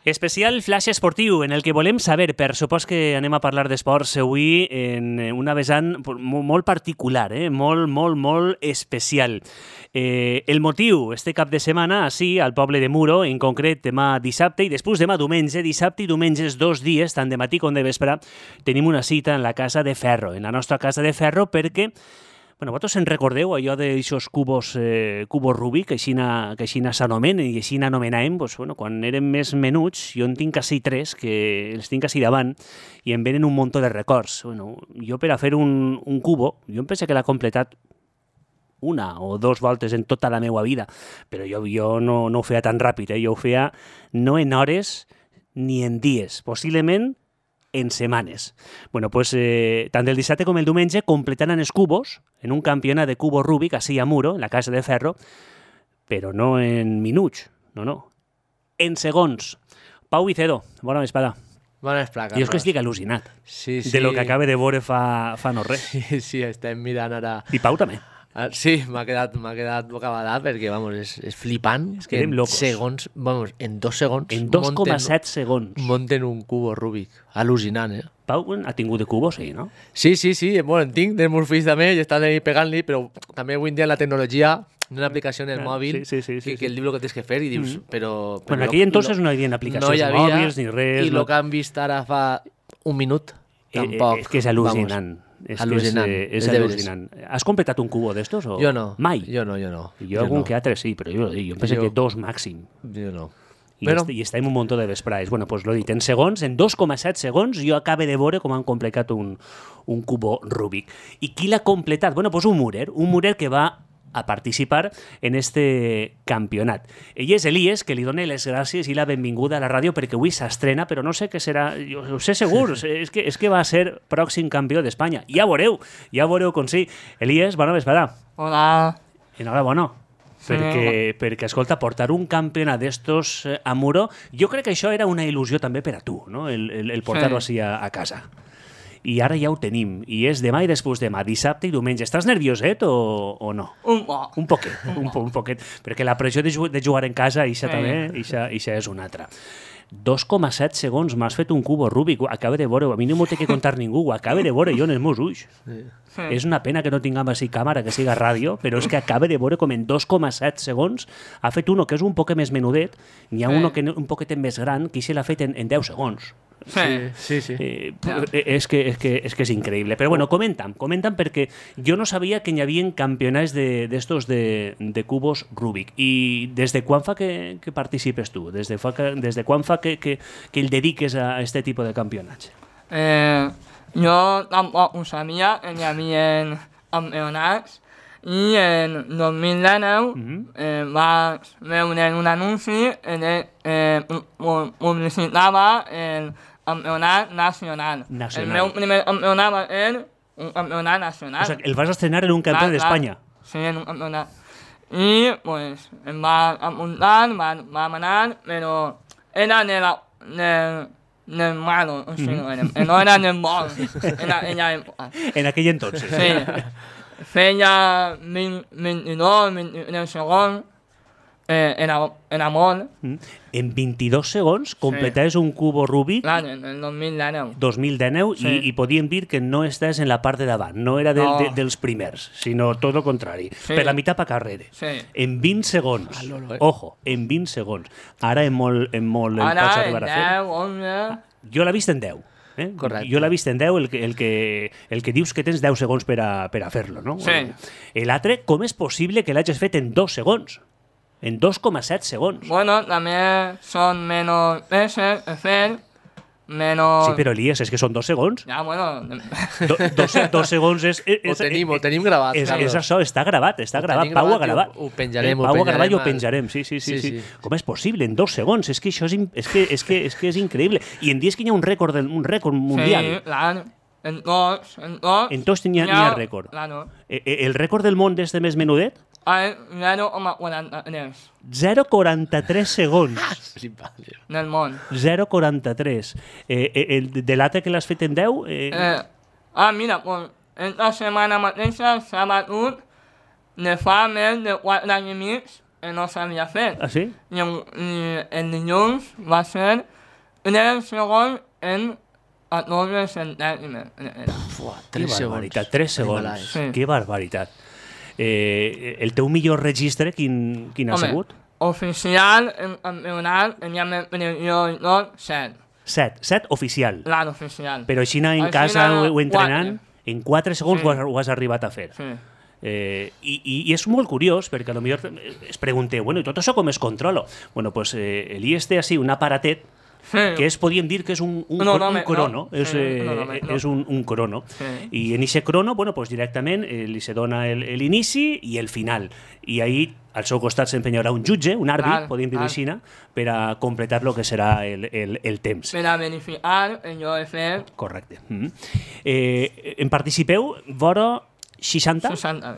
Especial flash esportiu, en el que volem saber, per supòs que anem a parlar d'esports avui en una vessant molt particular, molt especial. El motiu, este cap de setmana, així, al poble de Muro, en concret demà dissabte i després demà diumenge, dissabte i diumenge, 2 dies, tant de matí com de vespre, tenim una cita en la Casa de Ferro, en la nostra Casa de Ferro, perquè vosaltres en recordeu allò d'aixòs cubos Rubik, que així s'anomenen i així n'anomenàvem, quan érem més menuts, jo en tinc quasi 3, que els tinc quasi davant, i em venen un munt de records. Jo per a fer un cubo, jo em penso que l'ha completat 1 o 2 voltes en tota la meva vida, però jo no ho feia tan ràpid, jo ho feia no en hores ni en dies, possiblement en setmanes. Tant el dissabte com el diumenge completaran els cubos en un campionat de cubo Rubik, així a Muro, en la Casa de Ferro, però no en minuts, no. En segons. Pau Vicedo, bona vesprada. Bona vesprada, Jo és que estic al·lucinat de lo que acaba de veure fa no res. Sí, estem mirant ara... I Pau també. Sí, m'ha quedat bocabadat perquè, és flipant. És que érem locos. En 2 segons... En 2,7 segons. Munten un cubo Rubik. Al·lucinant, Pau ha tingut de cubos, sí, no? Sí. En tinc, dels meus fills també, i estan ahí pegant-li, però també avui en dia la tecnologia, una aplicació en el mòbil, que el diu el que tens que fer i dius, però... En aquell entonces no hi havia aplicacions mòbils ni res. I el que han vist ara fa 1 minut, tampoc. És que és al·lucinant. És al·lucinant. Has completat un cubo d'estos? Jo no. Mai? Jo no. Jo algun que altre sí, però jo penso que 2 màxim. Jo no. I estem un munt de vesprades. L'he dit, en segons, en 2,7 segons, jo acabe de veure com han completat un cubo Rubik. I qui l'ha completat? Un murer que va a participar en este campionat. Ell és Elies, que li dona les gràcies i la benvinguda a la ràdio perquè avui s'estrena, però no sé què serà, jo ho sé segur, és que va ser pròxim campió d'Espanya. Ja veureu com sí. Elies, bona vesprada. Hola. Enhorabona. Perquè, escolta, portar un campionat d'estos a Muro, jo crec que això era una il·lusió també per a tu, no? El portar-ho així a casa. I ara ja ho tenim, i és demà i després demà, dissabte i diumenge. Estàs nervioset o no? Un poquet, perquè la pressió de jugar en casa, ixa també, ixa és una altra. 2,7 segons m'has fet un cubo Rubik, acaba de veure, a mi no m'ho té que contar ningú, ho acaba de veure jo en els meus ulls. És una pena que no tinguem així càmera, que siga ràdio, però és que acaba de veure com en 2,7 segons ha fet uno que és un poquet més menudet, n'hi ha uno que un poquet més gran, que se l'ha fet en 10 segons. Sí. És que és increïble. Però comenta'm perquè jo no sabia que hi havia campionats d'estos de cubos Rubik. I des de quan fa que participes tu? Des de quan fa que el dediques a aquest tipus de campionats? Jo tampoc ho sabia, hi havia campionats i en 2019 vaig veure un anunci que publicitava el campionat nacional. El meu primer campionat va ser un campionat nacional. O sigui, el vas estrenar en un campionat d'Espanya. Sí, en un campionat. I, em va apuntar, vam anar, però era del malo, o sigui, no era del bon, en aquella època. En aquell entonces. Sí. Feia 22, 23 segons, era molt. En 22 segons completaves un cubo Rubik. Clar, en el 2019. 2019, sí. I podíem dir que no estàs en la part de davant, no era dels primers, sinó tot el contrari, per la meitat per carrere. Sí. En 20 segons. Ojo, en 20 segons. Ara en molt el pots arribar a fer. Ara en 10, 11... Jo l'he vist en 10. Correcte. Jo l'he vist en 10, el que dius que tens 10 segons per a fer-lo, no? Sí. L'altre, com és possible que l'hagis fet en 2 segons? En 2,7 segons. També són menys peces a fer, menys... Sí, però Elies, és que són 2 segons. Ja, 2 segons és... Ho tenim gravat. És això, està gravat. Pau ha gravat. Ho penjarem. Pau ha gravat i ho penjarem, sí. Com és possible? En 2 segons. És que això és increïble. I em dius que hi ha un rècord mundial. Sí, clar. En tots n'hi ha rècord. Claro. El rècord del món d'este més menudet? 0,43. 0,43 segons. Del món. 0,43. De l'altre que l'has fet en 10? Mira, esta setmana mateixa s'ha batut de fa més de 4 anys i mig no s'havia fet. Ah, sí? I el dilluns va ser el segon a 9 centèsimes. Fuà, Que 3 barbaritat, segons. 3 segons. Sí. Que barbaritat. El teu millor registre, quin ha sigut? Oficial, en campionat, teníem el primer i tot, 7. 7 oficial. L'any oficial. Però així en Així casa anar o entrenant, en 4 segons Sí. ho has arribat a fer. Sí. I és molt curiós, perquè potser es pregunteu, bueno, i tot això com es controla? Bueno, pues l'IES té així un aparatet que podríem dir que és un crono, és un crono. I en aquest crono, bueno, pues directament li se dona l'inici i el final. I ahí al seu costat s'empenyarà un jutge, un àrbit, podríem dir-ho així, per a completar el que serà el temps. Per a verificar allò de fer... Correcte. En participeu vora 60? 60.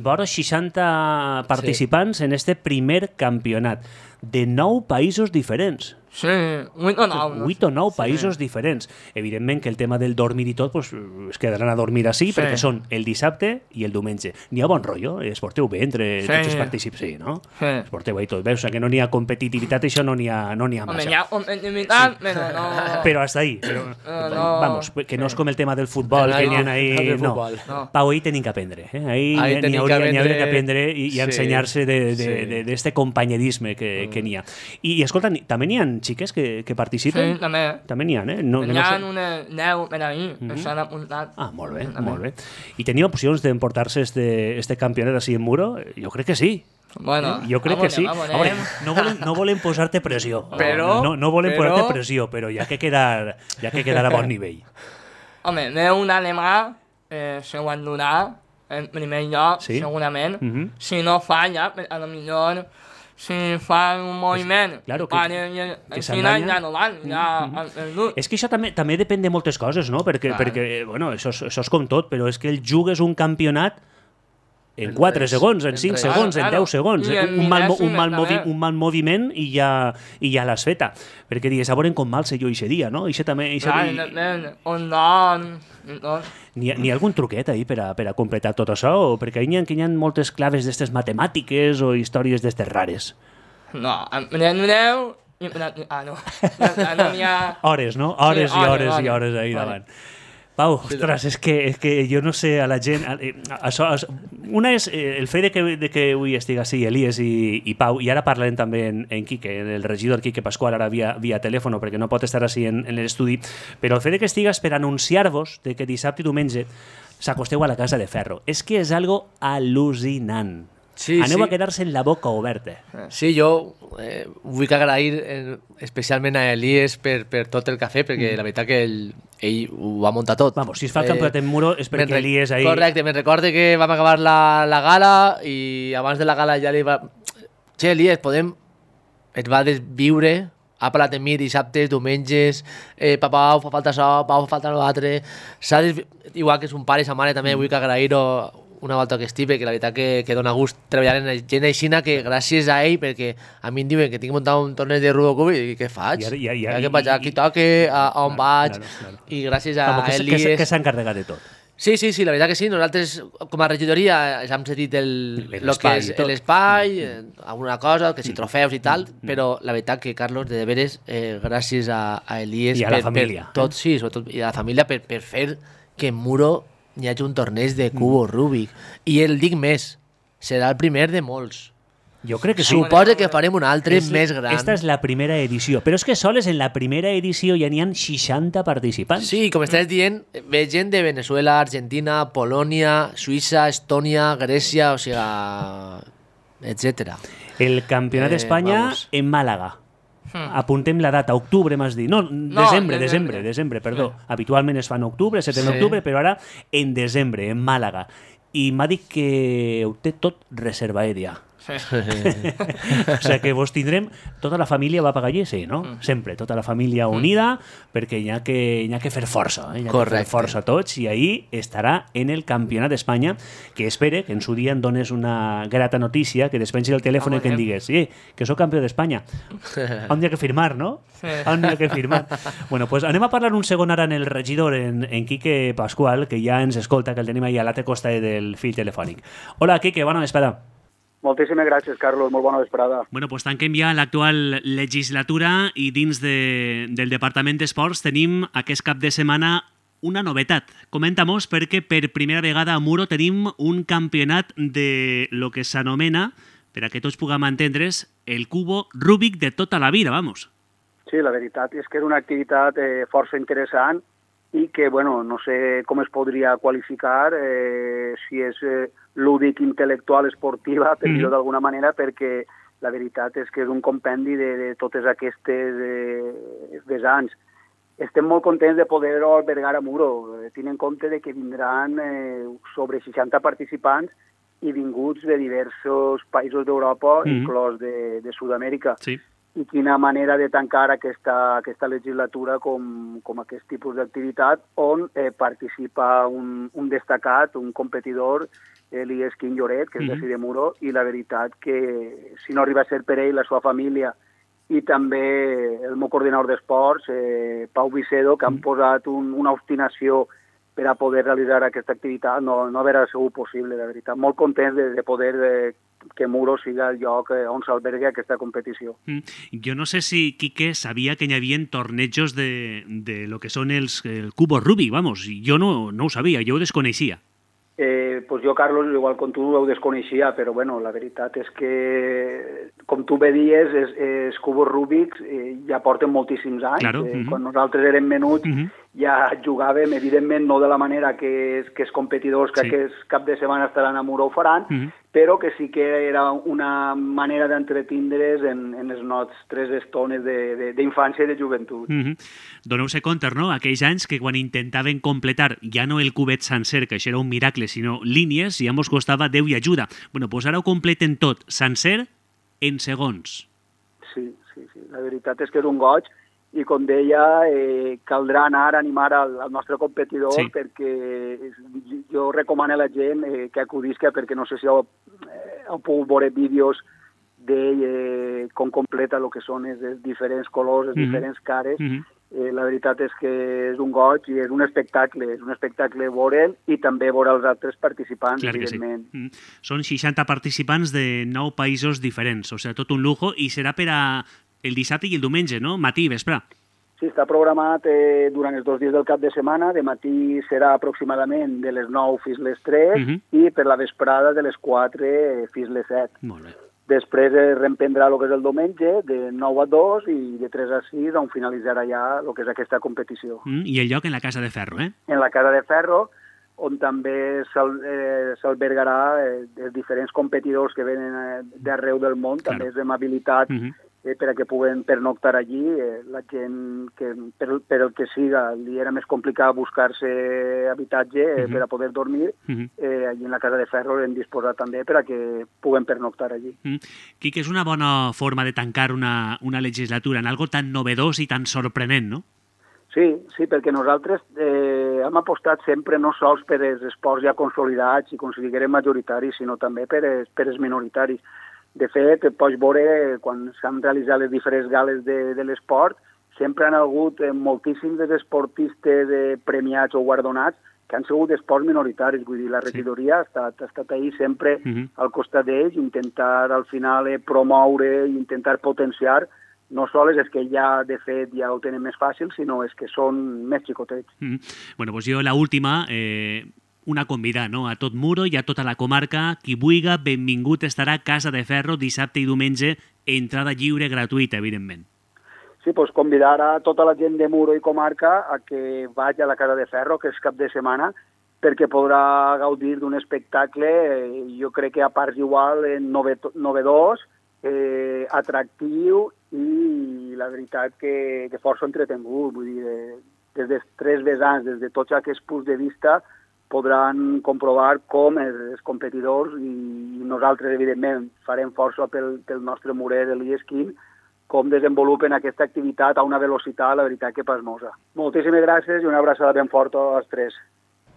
Vora 60 participants en este primer campionat de 9 països diferents. Sí, 8 o 9. 8 o 9 països diferents. Evidentment que el tema del dormir i tot pues, es quedaran a dormir així perquè són el dissabte i el diumenge. N'hi ha bon rotllo? Es porteu bé entre tots els partícips? Sí, no? Es porteu bé i tot. Veus que no n'hi ha competitivitat, això no n'hi ha massa. Home, hi ha competitivitat, però no... Però hasta ahí. Vamos, que no és com el tema del futbol, que n'hi ha ahí... No. Pau, ahí tenim que aprendre. Ahí n'hi hauria que aprendre i ensenyar-se d'este companyerisme que n'hi ha. I escolta, també n'hi ha xiques que participen? Sí, també. També n'hi ha, eh? N'hi ha unes 10 per ahir, que s'han apuntat. Ah, molt bé, molt bé. I tenia opcions d'emportar-se este campionat així en Muro? Jo crec que sí. Bueno, jo crec que sí. No volem posar-te pressió. No volem posar-te pressió, però hi ha que quedar a bon nivell. Home, veu un alemà, se ho han donat en primer lloc, segurament. Si no falla, a lo millor... Si fan un moviment, claro, que s'enganya, ja no van, ja han perdut. És que això també depèn de moltes coses, no? Perquè bueno, això és com tot, però és que el jugues un campionat en 4 segons, en 5 segons, en 10 segons. Un mal moviment i ja l'has feta. Perquè digues, a veure com mal sé jo aquest dia, no? On don... N'hi ha algun truquet ahí per a completar tot això? O perquè hi ha moltes claves d'estes matemàtiques o històries d'estes rares? No, aprendreu... no n'hi ha... Hores, no? Hores i hores i hores ahí davant. Pau, ostres, és que jo no sé a la gent... Una és el fet de que avui estigui així Elies i Pau, i ara parlarem també en Quique, el regidor Quique Pascual, ara via telèfon, perquè no pot estar així en l'estudi, però el fet de que estigues per anunciar-vos de que dissabte i diumenge s'acosteu a la Casa de Ferro, és que és algo al·lucinant. Aneu a quedar-se en la boca oberta. Sí, jo vull agrair especialment a Elies per tot el que ha fet, perquè la veritat que ell ho va muntar tot. Vamos, si es fa el campionat en Muro és perquè Elies ahí... Correcte, me'n recorde que vam acabar la gala i abans de la gala ja li va... Che, Elies, et va desviure, ha parlat amb mi dissabtes, diumenges, Pau, fa falta això, Pau, fa falta l'altre... Igual que és un pare i sa mare també vull agrair-ho una volta que estic, perquè la veritat que dona gust treballar en gent aixina, que gràcies a ell, perquè a mi em diuen que tinc muntat un torneig de Rubocub i què faig? Que vaig aquí toque, a on vaig, i gràcies a Elies... Que s'ha encarregat de tot. Sí, la veritat que sí. Nosaltres, com a regidoria, ja hem cedit l'espai, alguna cosa, que si trofeus i tal, però la veritat que, Carlos, de veres, gràcies a Elies... I a la família. Tot, sí, sobretot, i a la família per fer que en Muro hi hagi un torneig de cubo Rubik. I el dic més, serà el primer de molts. Jo crec que sí. Suposa que farem un altre més gran. Esta és la primera edició, però és que sols en la primera edició ja n'hi ha 60 participants. Sí, com estàs dient, ve gent de Venezuela, Argentina, Polònia, Suïssa, Estònia, Grècia, o sigui, etc. El Campionat d'Espanya en Màlaga. Apuntem la data, octubre m'has dit. No, desembre, perdó. Habitualment es fa en octubre, 7 d'octubre, però ara en desembre, en Màlaga. I m'ha dit que ho té tot reservat ja. O sigui que vos tindrem... Tota la família va pagar allí, sí, no? Sempre, tota la família unida, perquè hi ha que fer força. Hi ha que fer força tots, i ahí estarà en el Campionat d'Espanya, que espere que en su dia em dones una grata notícia, que despensi el telèfon i que em digues, sí, que sóc campió d'Espanya. On hi ha que firmar, no? On hi ha que firmar. Bueno, pues anem a parlar un segon ara en el regidor, en Quique Pascual, que ja ens escolta, que el tenim ahí a l'altra costa del fil telefònic. Hola, Quique, bona vesprada. Moltíssimes gràcies, Carlos. Molt bona vesprada. Bueno, pues tanquem ja l'actual legislatura i dins del Departament d'Esports tenim aquest cap de setmana una novetat. Comenta-mos perquè per primera vegada a Muro tenim un campionat de lo que s'anomena, per a que tots puguem entendre's, el cubo Rubik de tota la vida, vamos. Sí, la veritat és que és una activitat força interessant i que, bueno, no sé com es podria qualificar, si és lúdic, intel·lectual, esportiva, per dir-ho d'alguna manera, perquè la veritat és que és un compendi de totes aquestes vessants. Estem molt contents de poder-ho albergar a Muro. Tenint en compte de que vindran sobre 60 participants i vinguts de diversos països d'Europa, inclòs de Sud-amèrica. Sí. I quina manera de tancar aquesta legislatura com aquest tipus d'activitat on participa un destacat, un competidor, Elies Quim Lloret, que és d'ací de Muro, i la veritat que si no arriba a ser per ell, la seva família, i també el meu coordinador d'esports, Pau Vicedo, que han posat una obstinació per a poder realitzar aquesta activitat, no haurà sigut possible, la veritat. Molt content de poder que Muro siga el lloc on s'albergui aquesta competició. Jo no sé si Quique sabia que hi havia tornejos de lo que són el cubo Rubik, vamos, jo no ho sabia, jo ho desconeixia. Pues jo, Carlos, igual com tu ho desconeixia, però bueno, la veritat és que, com tu bé dies, els cubos Rubik ja porten moltíssims anys. Claro. Quan nosaltres érem menuts ja jugàvem, evidentment no de la manera que els competidors que aquest cap de setmana estaran a Muro ho faran, però que sí que era una manera d'entretindre's en les nostres estones d'infància i de joventut. Doneu-se compte, no?, aquells anys que quan intentaven completar ja no el cubet sencer, que això era un miracle, sinó línies, ja mos costava Déu i ajuda. Bueno, doncs ara ho completen tot, sencer, en segons. Sí. La veritat és que és un goig i, com deia, caldrà anar a animar al nostre competidor perquè jo recomano a la gent que acudisca, perquè no sé si heu pogut veure vídeos d'ell com completa el que són els diferents colors, les diferents cares. La veritat és que és un goig i és un espectacle veure'l i també veure els altres participants, clar, evidentment. Sí. Són 60 participants de 9 països diferents, o sigui, tot un lujo, i serà per a el dissabte i el diumenge, no? Matí i vespre. Sí, està programat durant els 2 dies del cap de setmana. De matí serà aproximadament de les 9 fins les 3 i per la vesprada de les 4 fins les 7. Molt bé. Després reemprendrà el que és el diumenge, de 9 a 2 i de 3 a 6, on finalitzarà ja el que és aquesta competició. I el lloc en la Casa de Ferro, eh? En la Casa de Ferro, on també s'albergarà els diferents competidors que venen d'arreu del món, també és d'amabilitat per a que puguen pernoctar allí. La gent que per el que siga li era més complicat buscar-se habitatge per a poder dormir, allí en la Casa de Ferro hem disposat també per a que puguen pernoctar allí. Quique, és una bona forma de tancar una legislatura en algo tan novedós i tan sorprenent, no? Sí, perquè nosaltres hem apostat sempre no sols per els esports ja consolidats i considerem majoritaris, sinó també per els minoritaris. De fet, pots veure, quan s'han realitzat les diferents gales de l'esport, sempre han hagut moltíssims esportistes premiats o guardonats que han sigut esports minoritaris. Vull dir, la regidoria ha estat ahí sempre al costat d'ells, intentar al final promoure i intentar potenciar no sols és que ja, de fet, ja ho tenen més fàcil, sinó és que són més xicotets. Bueno, doncs jo l'última, una convidada, no?, a tot Muro i a tota la comarca. Qui vulga, benvingut estarà a Casa de Ferro dissabte i diumenge, entrada lliure, gratuïta, evidentment. Sí, doncs convidar a tota la gent de Muro i comarca a que vagi a la Casa de Ferro, que és cap de setmana, perquè podrà gaudir d'un espectacle, jo crec que a parts igual, novedós, atractiu i la veritat que força entretengut. Vull dir, des dels 3 vessants, des de tots aquests punts de vista, podran comprovar com els competidors i nosaltres, evidentment, farem força pel nostre murer Elies Quim, com desenvolupen aquesta activitat a una velocitat, la veritat, que pasmosa. Moltíssimes gràcies i una abraçada ben forta als 3.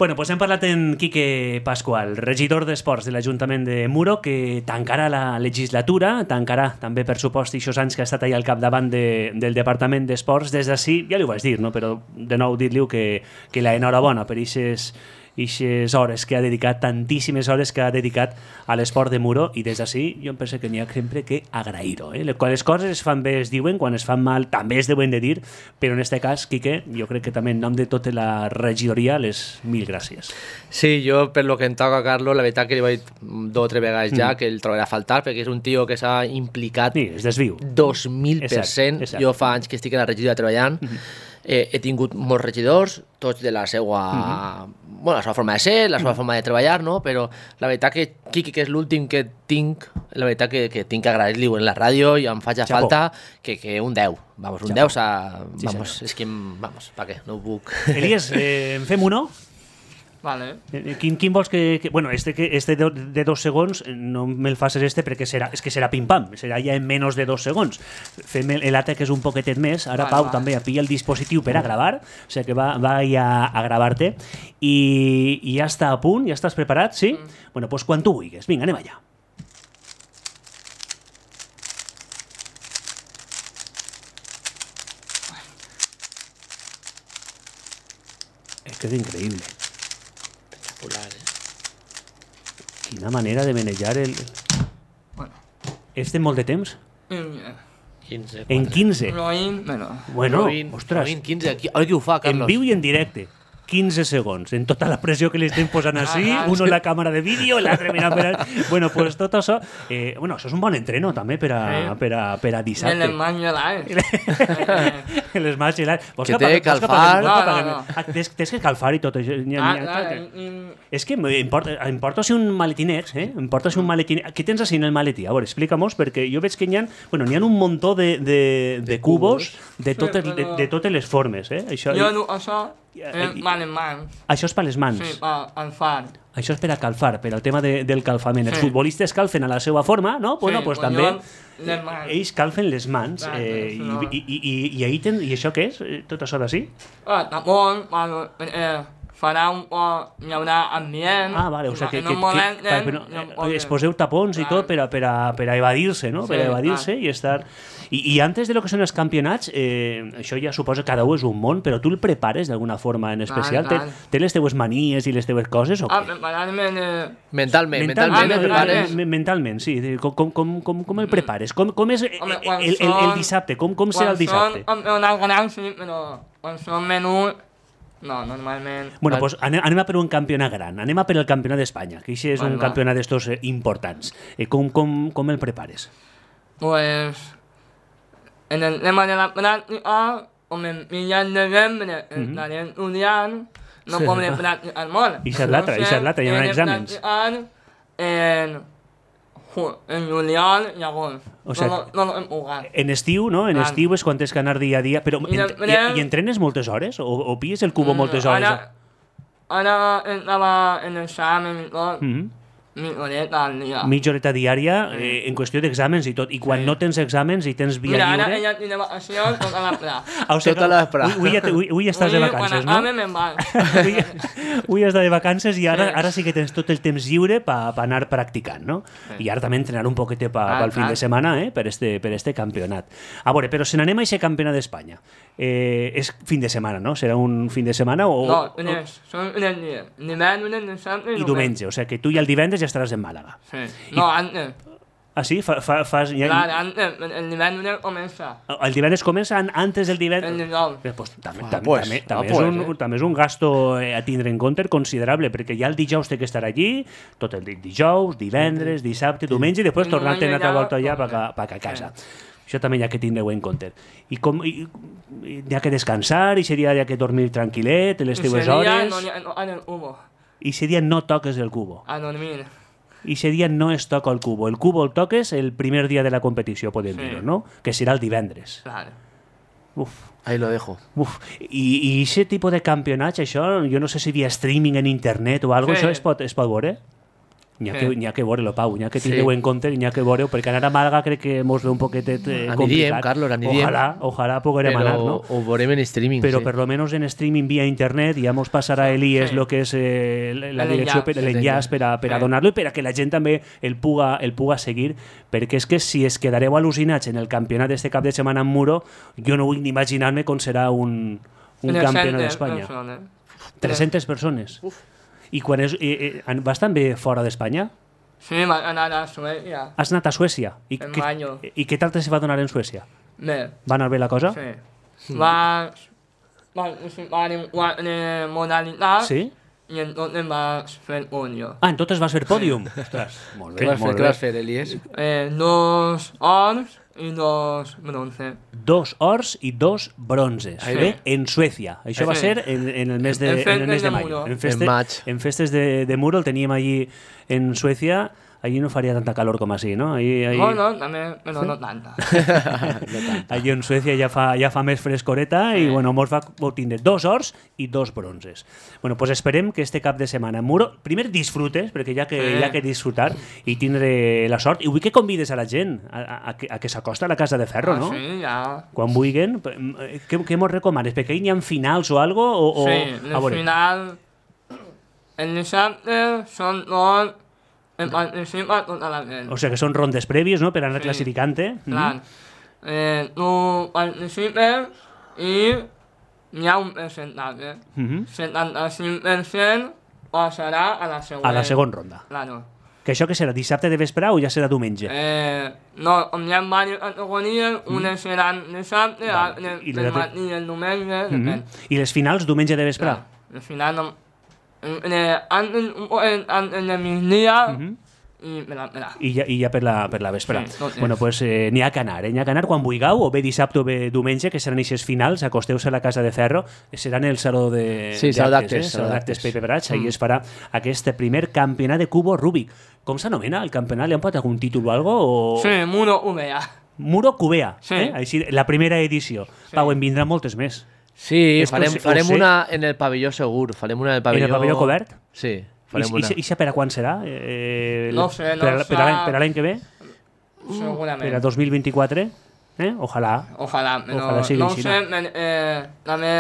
Bueno, doncs hem parlat amb Quique Pascual, regidor d'Esports de l'Ajuntament de Muro, que tancarà la legislatura, tancarà també, per supost, aquests anys que ha estat allà al capdavant del Departament d'Esports. Des d'ací, ja li ho vaig dir, no? Però de nou dir-li que l'enhorabona per aquestes ixes hores que ha dedicat, tantíssimes hores que ha dedicat a l'esport de Muro, i des d'ací jo em penso que n'hi ha sempre que agrair-ho. Quan les coses es fan bé es diuen, quan es fan mal també es deuen de dir, però en este cas, Quique, jo crec que també en nom de tota la regidoria les mil gràcies. Sí, jo per lo que em toca, Carlos, la veritat que li vaig 2 o 3 vegades ja que el trobaré a faltar, perquè és un tio que s'ha implicat Sí, es desviu. 2000%. Exacte. Jo fa anys que estic a la regidoria treballant, he tingut molts regidors, tots de la seva, bueno, la seva forma de ser, la seva forma de treballar, no? Però la veritat que Quique, que és l'últim que tinc, la veritat que tinc que agrair-li en la ràdio i em faig a Chapó. falta que un 10. Vamos, un Chapó. 10 Sí, vamos, senyor. és que, vamos, pa què, no ho puc. Elies, en fem uno? Vale. Quin vols que... Bueno, este de 2 segons, no me'l facis perquè és que serà pim-pam, serà ja en menys de 2 segons. Fem l'altre que és un poquetet més. Ara, Vale, Pau, vale. també pilla el dispositiu per a gravar, o sigui que va ja a gravar-te. I ja està a punt, ja estàs preparat, sí? Bueno, doncs quan tu vulguis. Vinga, anem allà. És que és increïble. Quina manera de manejar el... Bueno. És de molt de temps? 15. En 15? Roïn, bueno. Bueno, Rovin, ostres, 15. Ara qui ho fa, en Carlos? viu i en directe. 15 segons, en tota la pressió que li estem posant així, uno en la càmera de vídeo, l'altre mirant per... Bueno, pues tot això... bueno, això és un bon entreno també per a dissabte. Les mans gelades. Les mans gelades. Que té que calfar. No. Tens que calfar i tot això. És que em porto així un maletinet, em porto així un maletinet. Què tens així en el maletí? A veure, explica-mos, perquè jo veig que n'hi ha un muntó de cubos de totes les formes. Això, Jo no, això és mal en mans. això és per les mans. Sí, per alfar. Això és per a calfar, per al tema del calfament. Els Sí. futbolistes calfen a la seva forma, no? Bueno, Sí, pues pues també jo les mans. ells calfen les mans. Clar, això. I ahí I això què és? Tot això d'ací? Tampoc, farà un poc, hi haurà ambient. Ah, vale, o sigui en un moment es poseu tapons i tot per a evadir-se, no? Per a Sí, evadir-se i estar... I antes de lo que són els campionats, això ja suposa que cada un és un món, però tu el prepares d'alguna forma en especial? Clar. Té les teues manies i les teues coses o què? Preparar-me Mentalment el prepares. Mentalment, sí. Com el prepares? Com és Home, el dissabte? Com serà el dissabte? Quan són campionats grans, sí, però quan són menús, no, normalment... Bueno, doncs anem a per un campionat gran. Anem a per el campionat d'Espanya, que això és un campionat d'estos importants. Com el prepares? Pues, en el tema de la práctica, com en mitjan de novembre estaré estudiant, no podré practicar molt. I és l'altra, hi haurà exàmens. En juliol i agost. O sigui, no hem jugat. En estiu, no? En estiu és quan tens que anar dia a dia. Però i entrenes moltes hores? O pilles el cubo moltes hores? Ara estava en examen i tot, mitja horeta al dia. Mitja horeta diària en qüestió d'exàmens i tot. I quan no tens exàmens i tens via Mira, lliure... ara ella tiene vacacions tota la playa. O sigui, Tota la vesprada. Avui estàs de vacances, no? Quan acabe me'n vaig. Avui estàs de vacances i ara sí que tens tot el temps lliure per anar practicant, no? I ara també entrenar un poquet pel fin de setmana per este campionat. A veure, però se n'anem a aquest campionat d'Espanya. És fin de setmana, no? Serà un fin de setmana o... No, són uns dies. Divendres, dissabte i diumenge. O sigui que tu ja el divendres ja estaràs en Màlaga. Sí. No, antes. Ah, sí? Fas... Claro, antes. El divendres comença. El divendres comença antes del divendres? El dijous. Pues, també és un gasto a tindre en compte considerable, perquè ja el dijous té que estar allí, tot el dijous, divendres, dissabte, diumenge, i després tornar-te una altra volta allà per a casa. Això també hi ha que tindre-ho en compte. I hi ha que descansar, i seria hi ha que dormir tranquil·let, les teues hores... I seria no toques el cubo. A dormir. I seria no es toca el cubo. El cubo el toques el primer dia de la competició, podem dir-ho, no? Que serà el divendres. Claro. Uf. Ahí lo dejo. Uf. I aquest tipus de campionats, això, jo no sé si via streaming en internet o alguna cosa, això es pot veure? N'hi ha que veure-lo, Pau, n'hi ha que tindre-ho en compte, n'hi ha que veure-ho, perquè anar a Màlaga crec que mos ve un poquetet complicat. Aniríem, Carlos, aniríem. Ojalà poguérem anar, no? Ho veurem en streaming, però sí. per lo menos en streaming via internet ja mos passarà Elies lo que és la direcció, l'enllaç per a donar-lo i per a que la gent també el puga seguir, perquè és que si es quedareu al·lucinats en el campionat d'este cap de setmana en Muro, jo no vull ni imaginar-me com serà un campionat d'Espanya. 300 persones. I quan vas també fora d'Espanya? Sí, vaig anar a Suècia. Has anat a Suècia? En mayo. I què tal te se va donar en Suècia? Bé. Va anar bé la cosa? Sí. Vaig participar en 4 modalitats. Sí? I entonces vaig fer podio. Ah, en totes vas fer pòdium. Ostres, molt bé, molt Què bé. vas fer, Elies? 2 ors i 2 bronce. 2 ors i 2 bronzes. Sí. Bé, en Suècia. Això va Sí. ser en el mes de, En en el mes de festes de mayo. Muro. En maig. En festes de Muro el teníem allí en Suècia. Allí no faria tanta calor com així, no? Allí... No, també, però no tanta. Allí en Suècia ja fa més frescoreta i bueno, mos va tindre 2 ors i 2 bronzes. Bueno, pues esperem que este cap de setmana en Muro, primer disfrutes, perquè hi ha que disfrutar i tindre la sort. I vull que convides a la gent a que s'acosta a la Casa de Ferro, no? Sí, ja. Quan vulguin. Què mos recomanes? Perquè hi ha finals o algo? Sí, a el veure. final... El dissabte són tot... En participa tota la gent. O sigui que són rondes prèvies, no?, per anar Sí. classificant-te. Clar. Tu participes i hi ha un percentatge. 75% passarà a la següent. A la segona ronda. Claro. Que això que serà, dissabte de vesprà o ja serà diumenge? No, hi ha diverses categories, unes seran dissabte, altres I el l'altre- matí i el diumenge, depèn. I les finals diumenge de vesprà? Al final, no, antes de migdia i per la. I ja per la vesprà. Sí, tot Bueno, és. pues n'hi ha que anar, n'hi ha que anar quan vulgueu, o bé dissabte o bé diumenge, que seran aquestes finals, acosteu-se a la Casa de Ferro, seran el saló de Sí, saló d'actes, saló saló d'actes d'actes. Pepe Brach, ahí es farà aquest primer campionat de cubo Rubik. Com s'anomena el campionat? Li han posat algun títol o algo? O... Sí, Muro UVA. Muro Cubea, Sí. Així, la primera edició. Pau, en vindran moltes més. Sí, Esto ho farem sé. una en el pavelló segur. Farem una en el pavelló... En el pavelló cobert? Sí, farem una. I per a quan serà? No sé, no per a l'any que ve? Segurament. Per a 2024? Ojalà. Ojalà, però Ojalà sigui no ho així, sé, també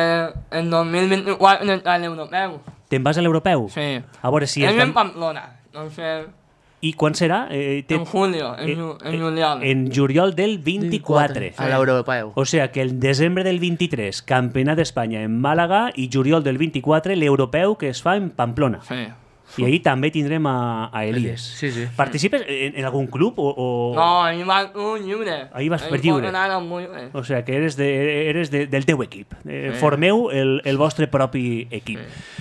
en 2024 entra l'europeu. Te'n vas a l'europeu? Sí. A veure si... És en Pamplona, no sé, I quan serà? en julio, en juliol. En juliol del 24. A l'europeu. O sigui que el desembre del 23, Campionat d'Espanya en Màlaga, i juliol del 24, l'europeu que es fa en Pamplona. Sí. I ahir també tindrem a Elies. Sí, sí. Participes en algun club o...? No, ahir vas tu lliure. Ahir vas per lliure. Ahir pot anar amb lliure. O sigui que eres del teu equip. Formeu el vostre propi equip.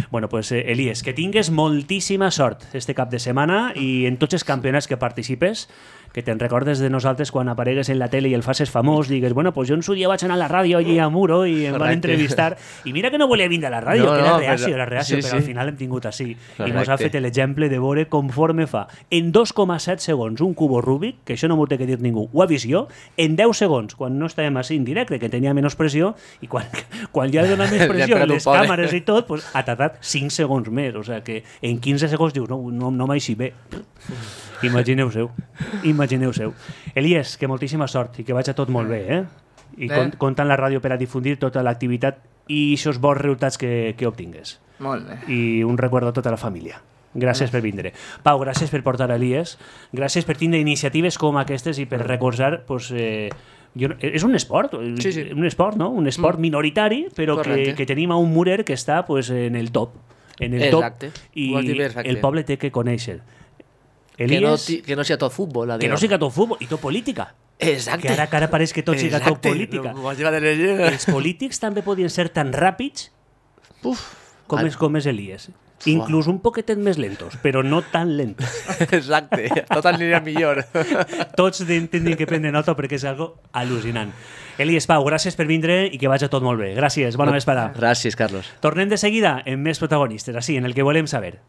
Bueno, pues Elies, que tingues moltíssima sort este cap de setmana i en tots els campionats que participes, que te'n recordes de nosaltres quan aparegues en la tele i el faces famós, digues, bueno, pues jo en su dia vaig anar a la ràdio allí a Muro i em van Correcte. entrevistar. I mira que no volia vindre a la ràdio, No, que era no, reacio, sí, però al sí. final hem tingut així. I Correcte. mos ha fet l'exemple de veure conforme fa en 2,7 segons un cubo Rubik, que això no m'ho té que dir ningú, ho ha vist jo, en 10 segons, quan no estàvem així en directe, que tenia menys pressió, i quan ja dona més Ja pressió, perd un les poc, càmeres i tot, pues, ha tardat 5 segons més. O sigui que en 15 segons dius, no m'així bé. Imagineu-seu. Elies, que moltíssima sort i que vagi tot molt bé, I compta amb la ràdio per a difundir tota l'activitat i aquests bons resultats que obtingues. Molt bé. I un record a tota la família. Gràcies per vindre. Pau, gràcies per portar Elies. Gràcies per tindre iniciatives com aquestes i per recordar... Pues, és un esport, Sí. un esport, no? Un esport minoritari, però que tenim a un murer que està pues, en el top. En el Exacte. top. I Ho has dit bé, exacte. el poble té que conèixer. Elies... Elies, Que no sigui tot futbol. que no siga tot futbol i tot política. Exacte. Que ara pareix que tot siga tot política. M'ho has llevat de llegir. Els polítics també podien ser tan ràpids com és Elies. Inclús un poquetet més lentos, però no tan lentos. Exacte. Tot aniria millor. Tots tindrien que prendre nota perquè és algo al·lucinant. Elies, Pau, gràcies per vindre i que vagi tot molt bé. Gràcies, bona vesprada. Gràcies, Carlos. Tornem de seguida amb més protagonistes, així, en el que volem saber.